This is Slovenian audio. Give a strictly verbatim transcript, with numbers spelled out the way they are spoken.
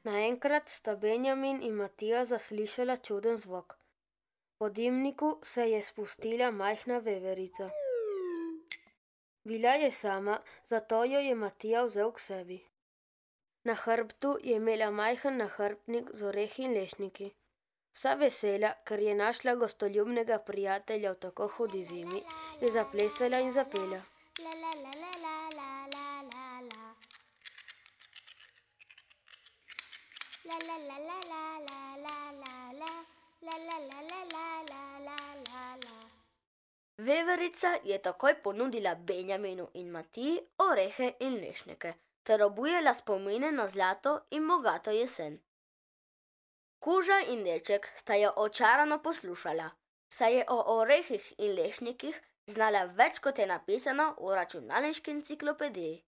Naenkrat sta Benjamin in Matija zaslišala čuden zvok. Po dimniku se je spustila majhna veverica. Bila je sama, zato jo je Matija vzel k sebi. Na hrbtu je imela majhen nahrbtnik z orehi in lešniki. Vsa vesela, ker je našla gostoljubnega prijatelja v tako hudi zimi, je zaplesala in zapela. Veverica je takoj ponudila Benjaminu in Matiji orehe in lešnike ter obujala spomine na zlato in bogato jesen. Kuža in deček sta jo očarano poslušala, saj je o orehih in lešnikih znala več, kot je napisano v računalniški enciklopediji.